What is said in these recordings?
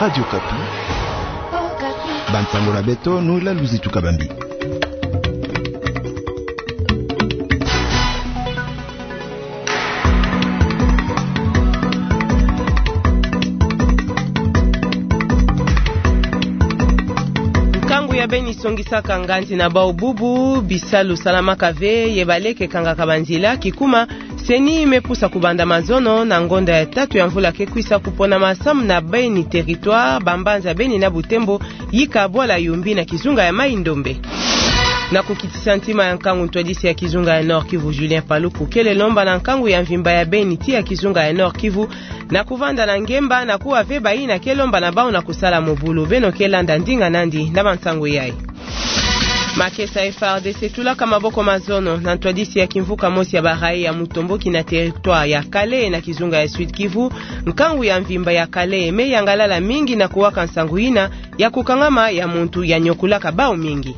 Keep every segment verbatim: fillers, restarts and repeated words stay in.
Radio Okapi. Bansango na beto, Noëlla Luzitu Kabambi. Nkangu ya beni songisaka nganzi na bau bubu, bisalu salamaka ve, ye baleke kangaka banzila, kikuma, CENI me pusa kubanda mazono na ngonda ya tatu ya mvula ke kwisa kupona masamu na beni territoire, bambanza beni na Butembo, yika bwala Yumbi na kizunga ya Mai-Ndombe. Na kukitisa ntima ya nkangu, ntwadisi ya kizunga ya Nord-Kivu Julien Paluku kele lomba na nkangu ya mvimba ya beni ti ya kizunga ya Nord-Kivu na kuvanda na ngemba na kuwa ve bayina ke lomba na bau na kusala mobulu. Beno ke landa ndinga nandi na bansangu yai. Makesa FARDC tulaka maboko mazono na ntwadisi ya kimvuka mosi ya ba raï ya mutomboki na territoire ya Kalehe na kizunga ya Sud-Kivu. Nkangu ya mvimba ya Kalehe me yangalala mingi na kuwaka nsangu yina ya kukangama ya muntu ya nyokulaka bau mingi.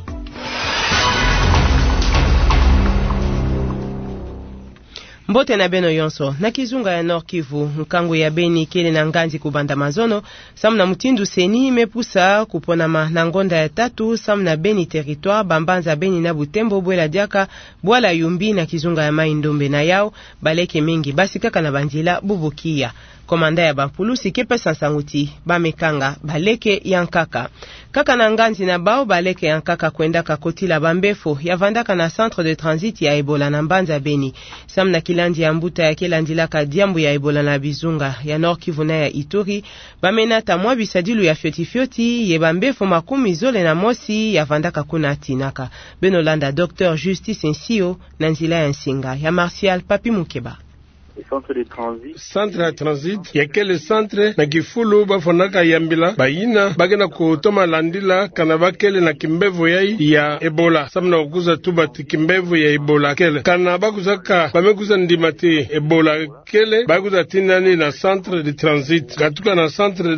Mbote na beno yonso. Na kizunga ya Nord-Kivu, nkangu ya beni kele na nganzi kubanda mazono, samu na mutindu CENI me pusa kuponama na ngonda ya tatu, samu na beni territoire, bambanza beni na Butembo, bwela diaka bwala Yumbi na kizunga ya Mai-Ndombe. Na yau, baleke mingi basikaka na banzila bubu kiya. Komanda ya bampulusi ke pesa nsangu ti ba me kanga baleke ya nkaka. Kaka na nganzi na bau, baleke ya nkaka kwendaka kotila bambefo ya vandaka na centre de transit ya Ebola na mbanza Beni. Samu na kilandi ya mbuta ya ke landilaka diambu ya Ebola na bizunga ya Nord-Kivu na ya Ituri, ba me nata mwa bisadilu ya fioti fioti ye bambefo makumi zole na mosi ya vandaka kuna tinaka. Beno landa Docteur Justice Nsio na nzila ya nsinga ya Martial Papi Mukeba. Centre ya transit ya kele centre na kifulu ba fwanaka yambila bayina ba ke na kutoma landila kana ba kele na kimbevo yai ya Ebola. Samu na kwiza tuba ti kimbevo ya Ebola kele, kana ba kwizaka, ba me kwiza ndima ti Ebola kele, ba kwiza tinda ni na centre de transit. Katuka na centre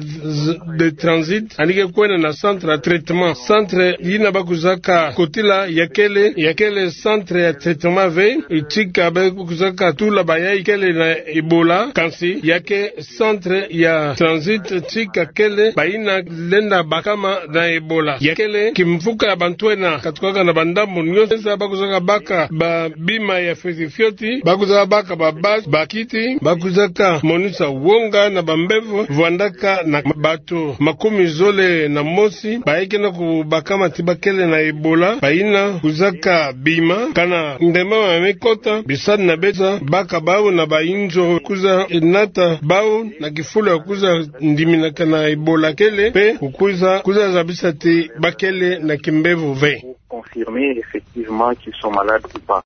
de transit, yandi ke kwenda na centre ya traitement. Centre yina ba kwizaka kotila ya kele, ya kele centre ya traitement ve, tika ba kwizaka tula bayai kele na Ebola, kansi ya ke centre ya transit, tika kele bayina lenda bakama na Ebola. Ya kele kimvuka ya bantu ena, katukaka na bandambu nyonso, ba kwizaka baka ba bima ya fioti fioti, ba kwizaka baka ba basi, bakiti, ba kwizaka monisa wonga na bambevo, vwandaka na bato makumi zole na mosi bayai ke na kubakama ti ba kele na Ebola, bayina kwizaka bima, kana ndemama me kota, bisadi na besa, baka bau na bainzo, kwiza nata bau na kifulu ya kwiza ndiminaka na Ebola kele, mpe kukwiza, kwiza zabisa ti ba kele na kimbevo ve. Confirmer effectivement qu'ils sont malades ou pas.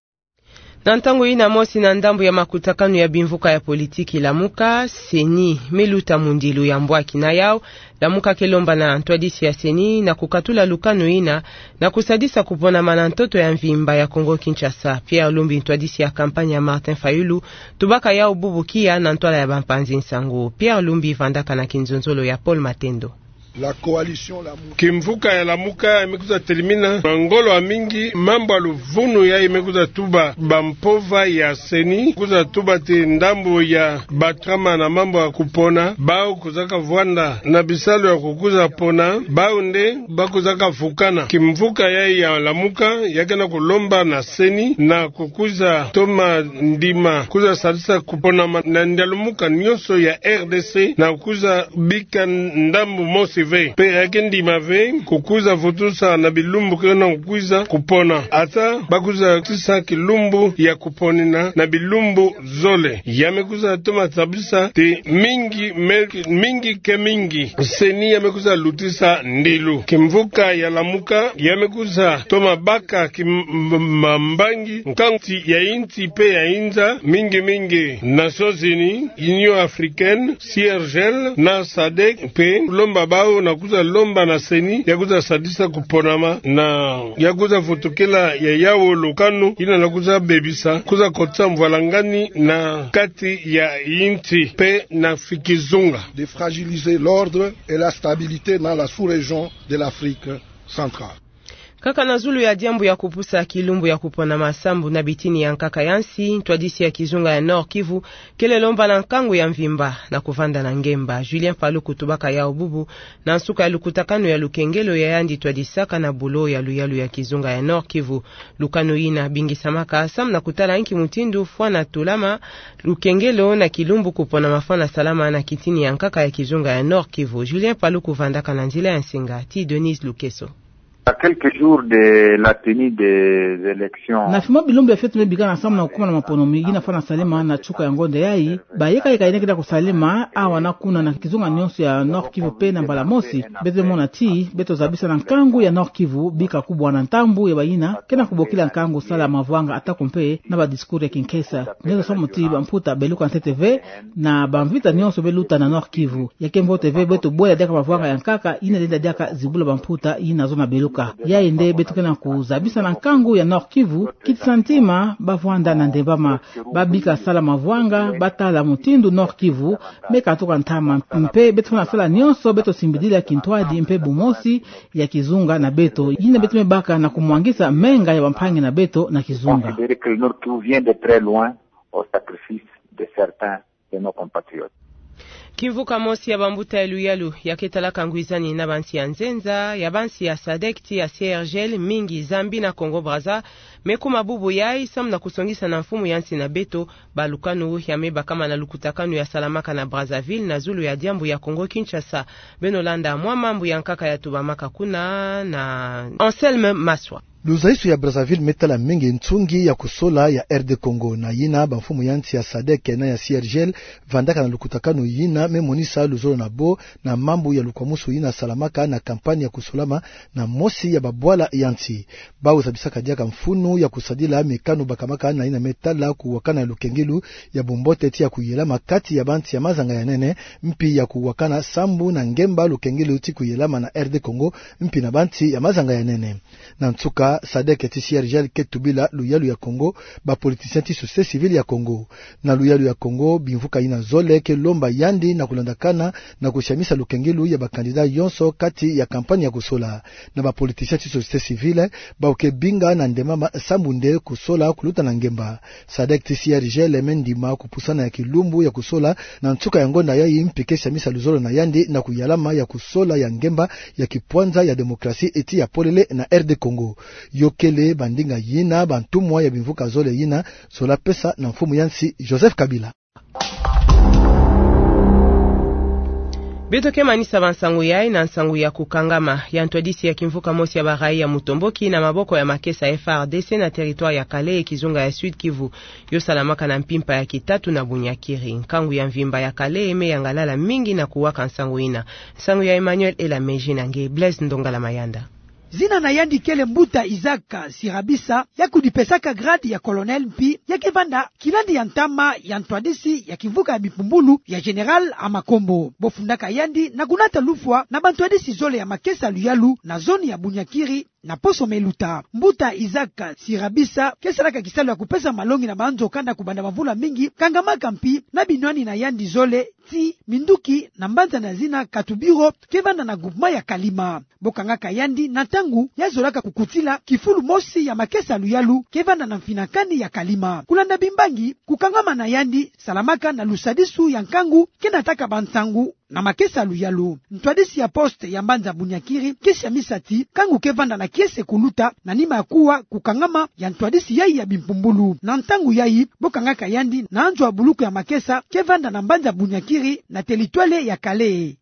Na ntangu yina mosi na ndambu ya makutakanu ya bimvuka ya politiki Lamuka, CENI me luta mundilu ya mbwaki. Na yau, Lamuka ke lomba na ntwadisi ya CENI na kukatula lukanu yina na kusadisa kuponama na ntoto ya mvimba ya Kongo-Kinshasa. Pierre Lumbi, ntwadisi ya kampanye ya Martin Fayulu, tubaka yau bubu kiya na ntwala ya bampanzi nsangu. Pierre Lumbi vandaka na kinzonzolo ya Paul Matendo. La coalition Lamuka. Kimvuka ya Lamuka me kwiza telimina na ngolo ya mingi mambu ya luvunu yai me kwiza tuba bampova ya CENI, kwiza tuba ti ndambu ya bato kama na mambu ya kupona, bau kwizaka vwanda na bisalu ya kukwiza pona, bau nde ba kwizaka vukana. Kimvuka yai ya Lamuka ya ke na kulomba na CENI na kukwiza toma ndima, kwiza sadisa kuponama na ndialumuka nyonso ya RDC, na kwiza bika ndambu mosi ve. Mpe ya ke ndima ve kukwiza vutusa na bilumbu ke na kukwiza kupona. Ata ba kwiza tisa kilumbu ya kuponina na bilumbu zole. Ya me kwiza toma tabisa ti mingi, me-, mingi ke mingi, CENI ya me kwiza lutisa ndilu. Kimvuka ya Lamuka ya me kwiza toma baka ki m-, m-, mambangi nkangu ti ya insi mpe ya inza, mingi mingi Nations Unies, Union Africaine, C R G L na sadec, mpe lomba bau na kwiza lomba na CENI ya kwiza sadisa kuponama na ya kwiza vutukila ya yau lukanu yina na kwiza bebisa, kwiza kotisa mvwalangani na kati ya insi mpe na kizunga. De fragiliser l'ordre et la stabilité dans la sous-région de l'Afrique centrale. Kaka na zulu ya diambu ya kupusa kilumbu ya kupona masambu na bitini ya nkaka ya nsi, ntwadisi ya kizunga ya Nord-Kivu kele lomba na nkangu ya mvimba na kuvanda na ngemba. Julien Paluku tubaka yau bubu na nsuka ya lukutakanu ya lukengelo ya yandi twadisaka na bulo ya luyalu ya kizunga ya Nord-Kivu. Lukanu yina bingisamaka samu na kutala nki mutindu fwana tulama lukengelo na kilumbu kupona mafwana salama na kitini ya nkaka ya kizunga ya Nord-Kivu. Julien Paluku vandaka na nzila ya nsinga ti Denise Lukeso. À quelques jours de la tenue des élections. Na fimo bilumbu ya fioti me bikana samu na kukuma na maponomi yina fwana salama na nsuka ya ngonda yayi, bayeka yeka yina kele kusalama awa na kuna na kizunga nyonso ya Nord-Kivu mpe na mbala mosi beto mona ti beto zabisa na nkangu ya Nord-Kivu bika kubwa na ntambu ya bayina ke na kubokila nkangu sala mavwanga atako mpe na ba discours ya kinkesa. Nyonso samu ti bamputa beluka ntete ve na bamvita nyonso beluta na Nord-Kivu. Ya ke mbote ve beto bwela diaka mavwanga ya nkaka yina lenda diaka zibula bamputa yina zona beluka. Yayi nde beto ke na kuzabisa na nkangu ya Nord-Kivu, kitisa ntima bavwanda na ndembama, babika sala mavwanga, batala mutindu Nord-Kivu me katuka ntama, mpe beto fwana sala nyonso beto simbidila kintwadi mpe bumosi ya kizunga na beto. Yina beto me baka na kumwangisa menga ya bampangi na beto na kizunga. Considérer que le Nord-Kivu vient de très loin au sacrifice de certains de nos compatriotes. Kimvuka mosi ya bambuta ya luyalu ya ke talaka ngwizani na bansi ya nzenza, ya bansi ya sadec ti ya C R G L mingi, Zambie na Congo Brazza, me kuma bubu yayi samu na kusongisa na mfumu ya nsi na beto balukanu ya me bakama na lukutakanu ya salamaka na Brazzaville na zulu ya diambu ya Congo Kinshasa. Beno landa mwa mambu ya nkaka ya tubamaka kuna na Anselme Maswa. Luzaiso ya Brazzaville me tala mingi nsungi ya kusola ya R D Congo, na yina bamfumu ya nsi ya sadec na ya C R G L vandaka na lukutakanu yina me monisa luzolo na bo na mambu ya lukwamusu yina salamaka na campagne ya kusolama na mosi ya babwala ya nsi. Bawu zabisaka diaka mfunu ya kusadila mikanu bakamaka na yina me tala kuwakana ya lukengelu ya bumbote ti ya kuyelama kati ya bansi ya mazanga ya nene, mpi ya kuwakana sambu na ngemba lukengelu ti kuyelama na R D Congo, mpi na bansi ya mazanga ya nene. Na nsuka, sadec ti C R G L ke tubila luyalu ya Congo, bapoliticien ti société civile ya Congo. Na luyalu ya Congo, bimvuka yina zole ke lomba yandi na kulandakana na kusiamisa lukengelu ya bacandidat yonso kati ya campagne ya kusola. Na bapoliticien ti société civile, bawu ke binga na ndembama sambu nde kusola kuluta na ngemba. Sadec ti C R G L me ndima kupusana ya kilumbu ya kusola na nsuka ya ngonda yayi, mpi ke siamisa luzolo na yandi na kuyalama ya kusola ya ngemba ya kipwanza ya démocratie ti ya polele na R D Congo. Yo kele bandinga yina bantumwa ya bimvuka zole yina zola pesa na mfumu ya nsi Joseph Kabila. Beto ke manisa bansangu yayi na nsangu ya kukangama ya ntwadisi ya kimvuka mosi ya barayi ya mutomboki na maboko ya makesa F A R D C na territoire ya Kalehe, kizunga ya Sud-Kivu. Yo salamaka na mpimpa ya kitatu na Bunyakiri. Nkangu ya mvimba ya Kalehe me yangalala mingi na kuwaka nsangu yina. Nsangu ya Emmanuel Elameji na nge Blaise Ndongala Mayanda. Zina na yandi kele mbuta Isaac Sirabisa, ya kudipesaka grade ya colonel, mpi ya ke vanda kilandi ya ntama ya ntwadisi ya kimvuka ya bimpumbulu ya Général Amakombo. Bo fundaka yandi na kunata lufwa na bantwadisi zole ya makesa luyalu na zone ya Bunyakiri na poso me luta. Mbuta Isaac Sirabisa ke salaka kisalu ya kupesa malongi na banzo kanda kubanda bamvula mingi, kangamaka mpi na binwani na yandi zole ti minduki na mbanza na zina Katubiro, ke vanda na groupement ya Kalima. Bo kangaka yandi na ntangu ya zolaka kukutila kifulu mosi ya makesa luyalu ke vanda na mfinakani ya Kalima. Kulanda bimbangi, kukangama na yandi salamaka na lusadisu ya nkangu ke nataka bansangu na makesa luyalu. Ntwadisi ya poste ya mbanza Bunyakiri ke siamisa ti nkangu ke vanda na kiese kuluta na nima ya kuwa kukangama ya ntwadisi yayi ya bimpumbulu. Na ntangu yayi, bo kangaka yandi na nzo ya buluku ya makesa ke vanda na mbanza Bunyakiri na teritware ya Kalehe.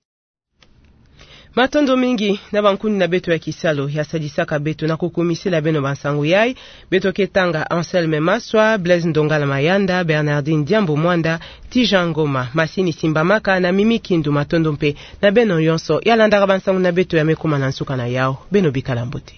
Matondo mingi na bankuni na beto ya kisalu ya sadisaka beto na kukumisila beno bansangu yayi. Beto ke tanga Anselme Maswa, Blaise Ndongala Mayanda, Bernardine Diambu Mwanda, Tijan Ngoma, masini simbamaka na Mimi Kindu. Matondo mpe na beno yonso ya landaka bansangu na beto ya me kuma na nsuka na yawu. Beno bikala mbote.